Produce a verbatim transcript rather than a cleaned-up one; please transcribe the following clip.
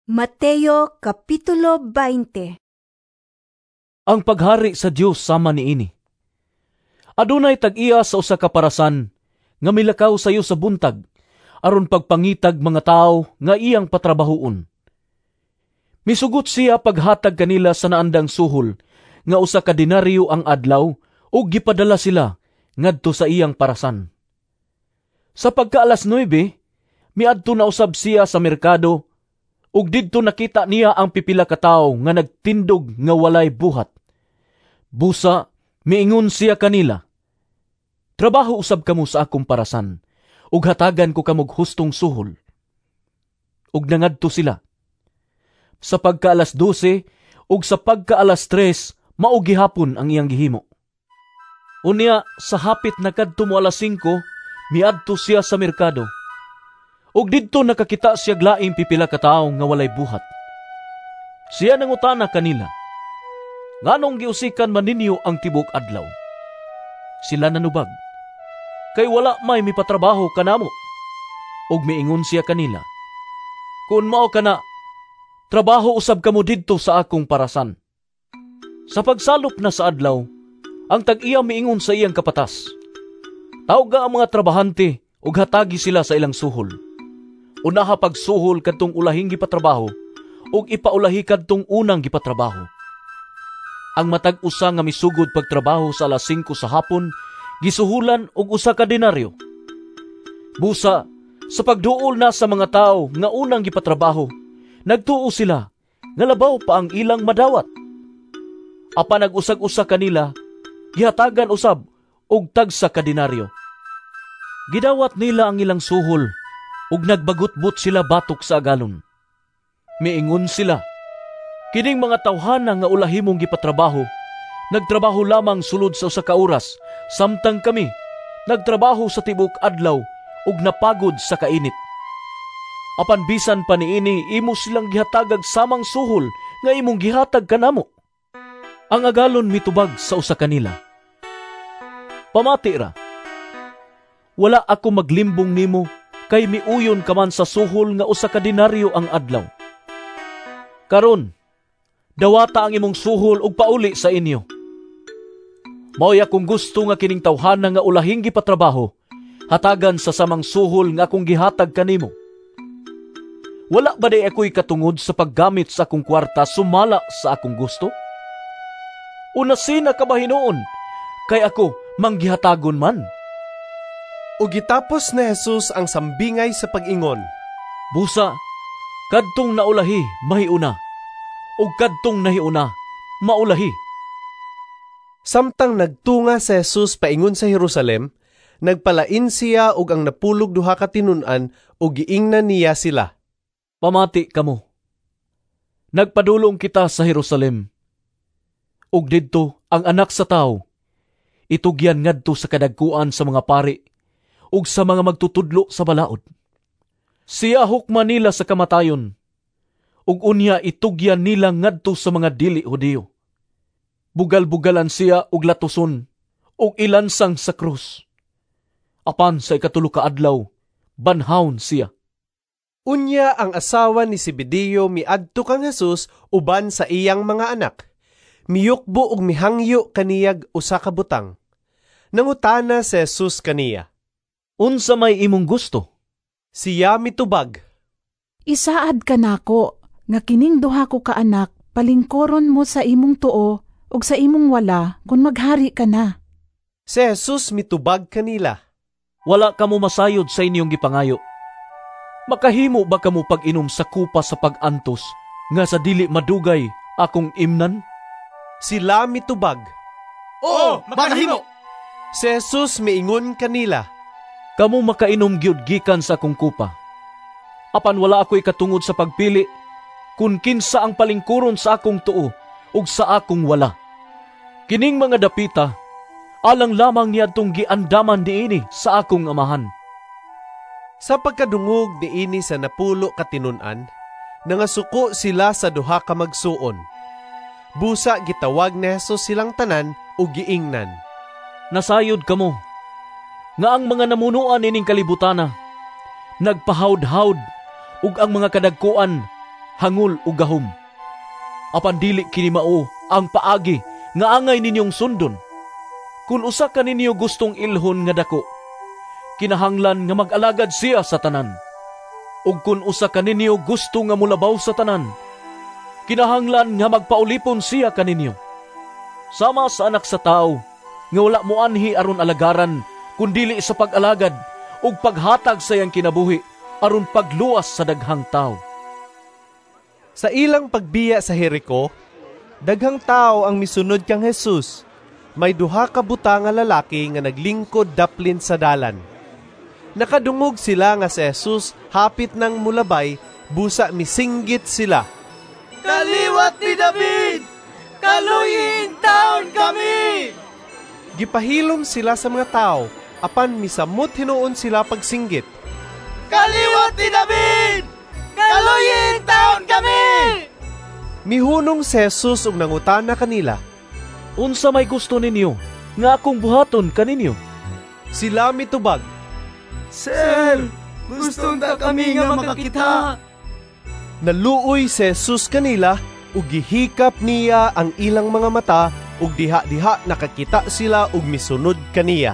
Mateo Kapitulo beinte. Ang paghari sa Dios sama niini. Adunay tag-iya sa usa ka parasan nga milakaw sayo sa buntag aron pagpangitag mga tawo nga iyang patrabahoon. Misugot siya paghatag kanila sa naandang suhol nga usa ka denaryo ang adlaw ug gipadala sila ngadto sa iyang parasan. Sa pagka alas nuwebe, miadto na usab siya sa merkado ug didto nakita niya ang pipila ka tawo nga nagtindog nga walay buhat. Busa, miingon siya kanila, "Trabaho usab kamo sa akong parasan, ug hatagan ko kamog hustong suhol." Ug nangadto sila. Sa pagka alas dose ug sa pagka alas tres, mao gihapon ang iyang gihimo. Unya, sa hapit na kadto mo alas singko, miadto siya sa merkado. Ug didto nakakita siya laing pipila ka tawo nga walay buhat. Siya nangutana kanila, "Nganong giusikan man ninyo ang tibuok adlaw?" Sila nanubag, "Kay wala may mipatrabaho kanamo." Ug miingon siya kanila, "Kun mao kana, trabaho usab kamo didto sa akong parasan." Sa pagsalop na sa adlaw, ang tag-iya miingon sa iyang kapatas, "Tawga ang mga trabahante ug hatagi sila sa ilang suhol. Unaha pagsuhol kadtong ulahing gipatrabaho ug ipaulahi kadtong unang gipatrabaho." Ang matag usa nga misugod pagtrabaho sa alas singko sa hapon, gisuhulan og usa ka denaryo. Busa, sa pagduol na sa mga tawo nga unang gipatrabaho, nagtuo sila nga labaw pa ang ilang madawat. Apan nag-usag-usa kanila, gihatagan usab og tagsa ka denaryo. Gidawat nila ang ilang suhol ug nagbagutbot sila batok sa agalon. Miingon sila, "Kining mga tawhana nga ulahi mong gipatrabaho, nagtrabaho lamang sulod sa usa ka oras, samtang kami nagtrabaho sa tibuok adlaw ug napagod sa kainit. Apan bisan pa niini, imo silang gihatagag samang suhol nga imong gihatag kanamo." Ang agalon mitubag sa usa kanila, "Pamati ra. Wala ako maglimbong nimo kay miuyon ka man sa suhol nga usa ka denaryo ang adlaw. Karon, dawata ang imong suhol ug pauli sa inyo. Maoy akong gusto nga kining tawhana nga ulahing gipatrabaho, hatagan sa samang suhol nga akong gihatag kanimo. Wala ba day ako'y katungod sa paggamit sa akong kwarta sumala sa akong gusto? O nasina ka ba hinuon, kay ako manggihatagon man?" Ug gitapos ni Jesus ang sambingay sa pag-ingon, "Busa, kadtong naulahi mahiuna, ug kadtong nahiuna maulahi." Samtang nagtunga si Jesus paingon sa Jerusalem, nagpalain siya og ang napulog duha ka tinun-an ug giingnan niya sila, "Pamati kamo. Nagpadulong kita sa Jerusalem. Ug didto ang Anak sa Tawo itugyan ngadto sa kadagkuan sa mga pari ug sa mga magtutudlo sa balaod. Siya hukman nila sa kamatayon, ug unya itugyan nila ngadto sa mga dili Hudiyo. Bugal-bugalan siya og latuson ug ilansang sa krus. Apan sa ikatulo ka adlaw, banhawon siya." Unya ang asawa ni Zebedeo miadto kang Jesus uban sa iyang mga anak. Miyukbo og mihangyo kaniyag usa ka butang. Nangutana si Jesus kaniya, "Unsa may imong gusto?" Siya mitubag, "Isaad kanako nga kining duha ko ka anak palingkoron mo sa imong tuo ug sa imong wala kun maghari ka na." Si Jesus mitubag kanila, "Wala kamo masayod sa inyong gipangayo. Makahimo ba kamo pag-inom sa kupa sa pag-antos nga sa dili madugay akong imnan?" Sila mitubag, "Oo, makahimo." Si Jesus miingon kanila, "Kamo makainom gyud gikan sa akong kupa. Apan wala ako'y katungod sa pagpili kun kinsa ang palingkuron sa akong tuo ug sa akong wala. Kining mga dapita alang lamang niadtong giandaman niini sa akong amahan." Sa pagkadungog niini sa napulo ka tinun-an, nangasuko sila sa duha ka magsuon. Busa gitawag ni Jesus silang tanan ug giingnan, "Nasayod kamo nga ang mga namunuan nining kalibutana nagpahawd-hawd ug ang mga kadagkuan hangol ug gahom. Apan dili kini mao ang paagi nga angay ninyong sundon. Kun usa ka ninyo gustong ilhon nga dako, kinahanglan nga mag-alagad siya sa tanan. Ug kun usa ka ninyo gusto nga molabaw sa tanan, kinahanglan nga magpaulipon siya kaninyo. Sama sa Anak sa Tawo nga wala moanhi aron alagaran, kundili sa pag-alagad ug paghatag sa iyang kinabuhi aron pagluwas sa daghang tawo. Sa ilang pagbiya sa Jerico, daghang tao ang misunod kang Jesus. May duha ka buta nga lalaki nga naglingkod daplin sa dalan. Nakadungog sila nga si Jesus hapit nang mulabay, busa misinggit sila. Kaliwat ni David! Kaluyi taon kami! Gipahilom sila sa mga tao, apan misamot hinuon sila pagsinggit. Kaliwat ni David! Kaluyi taon kami! Mihunong si Jesus ug nangutana kanila. Unsa may gusto ninyo nga akong buhaton kaninyo? Sila mitubag, Sir, gusto ta kami nga makakita. Naluoy si Jesus kanila ug gihikap niya ang ilang mga mata ug diha-diha nakakita sila ug misunod kaniya.